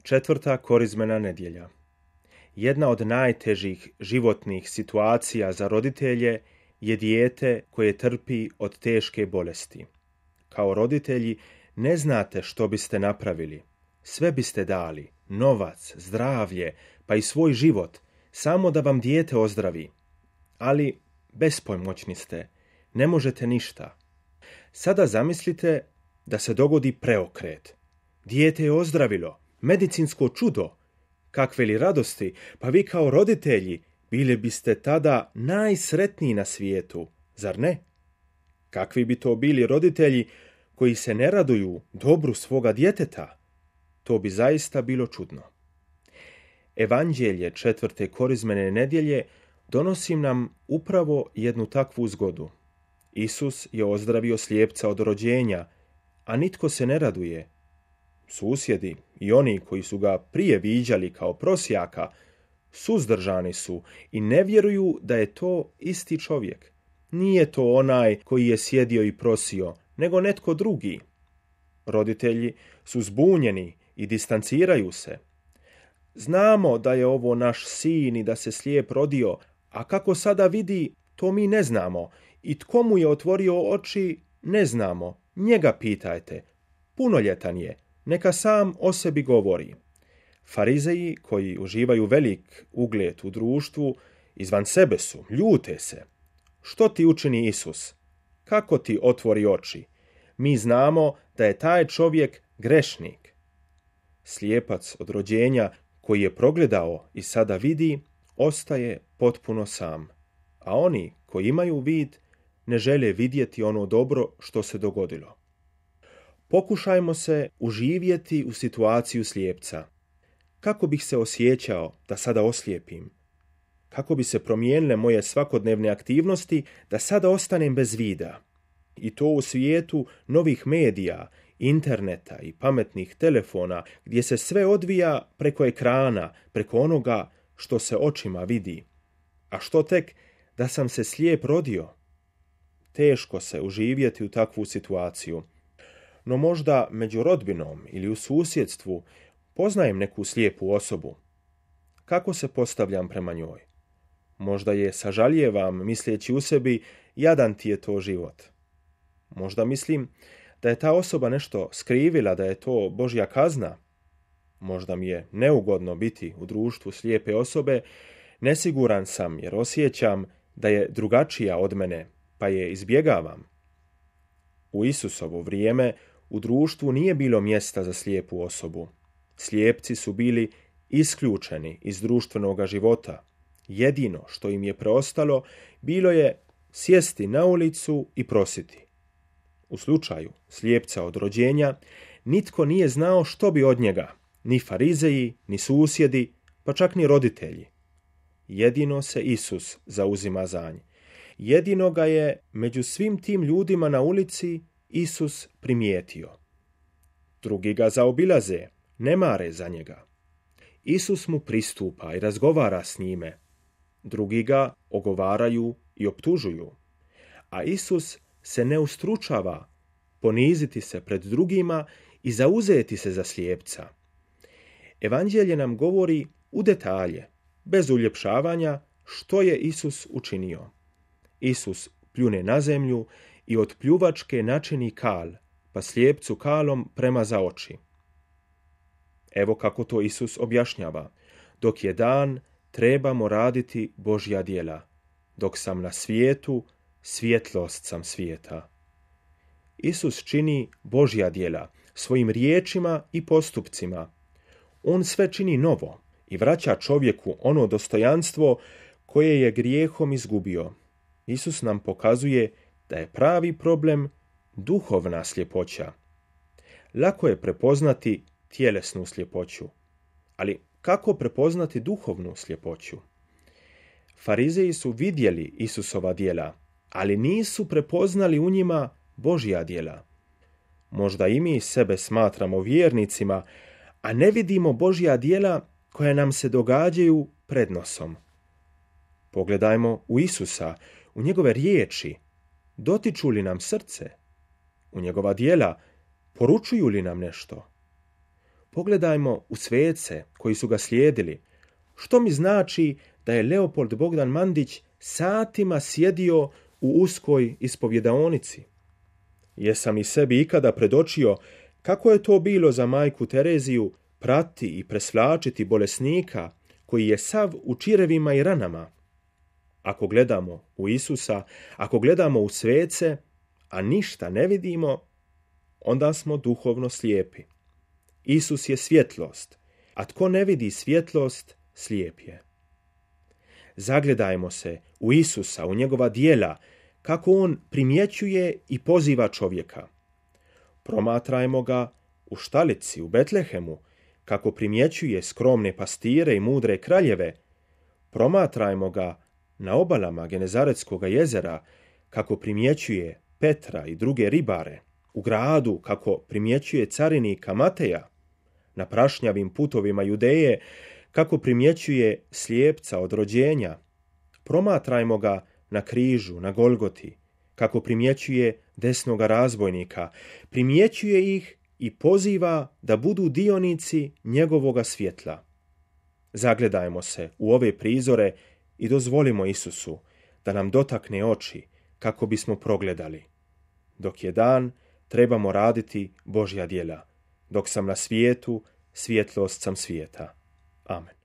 Četvrta korizmena nedjelja. Jedna od najtežih životnih situacija za roditelje je dijete koje trpi od teške bolesti. Kao roditelji ne znate što biste napravili. Sve biste dali, novac, zdravlje, pa i svoj život, samo da vam dijete ozdravi. Ali bespomoćni ste, ne možete ništa. Sada zamislite da se dogodi preokret. Dijete je ozdravilo, medicinsko čudo. Kakve li radosti, pa vi kao roditelji bili biste tada najsretniji na svijetu, zar ne? Kakvi bi to bili roditelji koji se ne raduju dobru svoga djeteta? To bi zaista bilo čudno. Evanđelje četvrte korizmene nedjelje donosi nam upravo jednu takvu zgodu. Isus je ozdravio slijepca od rođenja, a nitko se ne raduje. Susjedi i oni koji su ga prije viđali kao prosjaka suzdržani su i ne vjeruju da je to isti čovjek. Nije to onaj koji je sjedio i prosio, nego netko drugi. Roditelji su zbunjeni i distanciraju se. Znamo da je ovo naš sin i da se slijep rodio, a kako sada vidi, to mi ne znamo. I tko mu je otvorio oči, ne znamo. Njega pitajte. Punoljetan je. Neka sam o sebi govori. Farizeji, koji uživaju velik ugled u društvu, izvan sebe su, ljute se. Što ti učini Isus? Kako ti otvori oči? Mi znamo da je taj čovjek grešnik. Slijepac od rođenja koji je progledao i sada vidi, ostaje potpuno sam. A oni koji imaju vid ne žele vidjeti ono dobro što se dogodilo. Pokušajmo se uživjeti u situaciju slijepca. Kako bih se osjećao da sada oslijepim? Kako bi se promijenile moje svakodnevne aktivnosti da sada ostanem bez vida? I to u svijetu novih medija, interneta i pametnih telefona, gdje se sve odvija preko ekrana, preko onoga što se očima vidi. A što tek da sam se slijep rodio? Teško se uživjeti u takvu situaciju. No možda među rodbinom ili u susjedstvu poznajem neku slijepu osobu. Kako se postavljam prema njoj? Možda je sažaljevam misleći u sebi, jadan ti je to život. Možda mislim da je ta osoba nešto skrivila, da je to Božja kazna. Možda mi je neugodno biti u društvu slijepe osobe, nesiguran sam jer osjećam da je drugačija od mene, pa je izbjegavam. U Isusovo vrijeme u društvu nije bilo mjesta za slijepu osobu. Slijepci su bili isključeni iz društvenoga života. Jedino što im je preostalo bilo je sjesti na ulicu i prositi. U slučaju slijepca od rođenja nitko nije znao što bi od njega, ni farizeji, ni susjedi, pa čak ni roditelji. Jedino se Isus zauzima za nj. Jedino ga je među svim tim ljudima na ulici Isus primijetio. Drugi ga zaobilaze, ne mare za njega. Isus mu pristupa i razgovara s njime. Drugi ga ogovaraju i optužuju. A Isus se ne ustručava poniziti se pred drugima i zauzeti se za slijepca. Evanđelje nam govori u detalje, bez uljepšavanja, što je Isus učinio. Isus pljune na zemlju i od pljuvačke načini kal, pa slijepcu kalom premaza oči. Evo kako to Isus objašnjava. Dok je dan, trebamo raditi Božja djela. Dok sam na svijetu, svjetlost sam svijeta. Isus čini Božja djela svojim riječima i postupcima. On sve čini novo i vraća čovjeku ono dostojanstvo koje je grijehom izgubio. Isus nam pokazuje da je pravi problem duhovna sljepoća. Lako je prepoznati tjelesnu sljepoću, ali kako prepoznati duhovnu sljepoću? Farizeji su vidjeli Isusova djela, ali nisu prepoznali u njima Božja djela. Možda i mi sebe smatramo vjernicima, a ne vidimo Božja djela koja nam se događaju pred nosom. Pogledajmo u Isusa, u njegove riječi, dotiču li nam srce? U njegova djela poručuju li nam nešto? Pogledajmo u svece koji su ga slijedili. Što mi znači da je Leopold Bogdan Mandić satima sjedio u uskoj ispovjedaonici? Jesam i sebi ikada predočio kako je to bilo za majku Tereziju prati i presvlačiti bolesnika koji je sav u čirevima i ranama? Ako gledamo u Isusa, ako gledamo u svece, a ništa ne vidimo, onda smo duhovno slijepi. Isus je svjetlost, a tko ne vidi svjetlost, slijep je. Zagledajmo se u Isusa, u njegova djela, kako on primjećuje i poziva čovjeka. Promatrajmo ga u štalici, u Betlehemu, kako primjećuje skromne pastire i mudre kraljeve. Promatrajmo ga na obalama Genezaretskog jezera, kako primjećuje Petra i druge ribare. U gradu, kako primjećuje carinika Mateja. Na prašnjavim putovima Judeje, kako primjećuje slijepca od rođenja. Promatrajmo ga na križu, na Golgoti, kako primjećuje desnoga razbojnika. Primjećuje ih i poziva da budu dionici njegovoga svjetla. Zagledajmo se u ove prizore i dozvolimo Isusu da nam dotakne oči kako bismo progledali. Dok je dan, trebamo raditi Božja djela. Dok sam na svijetu, svjetlost sam svijeta. Amen.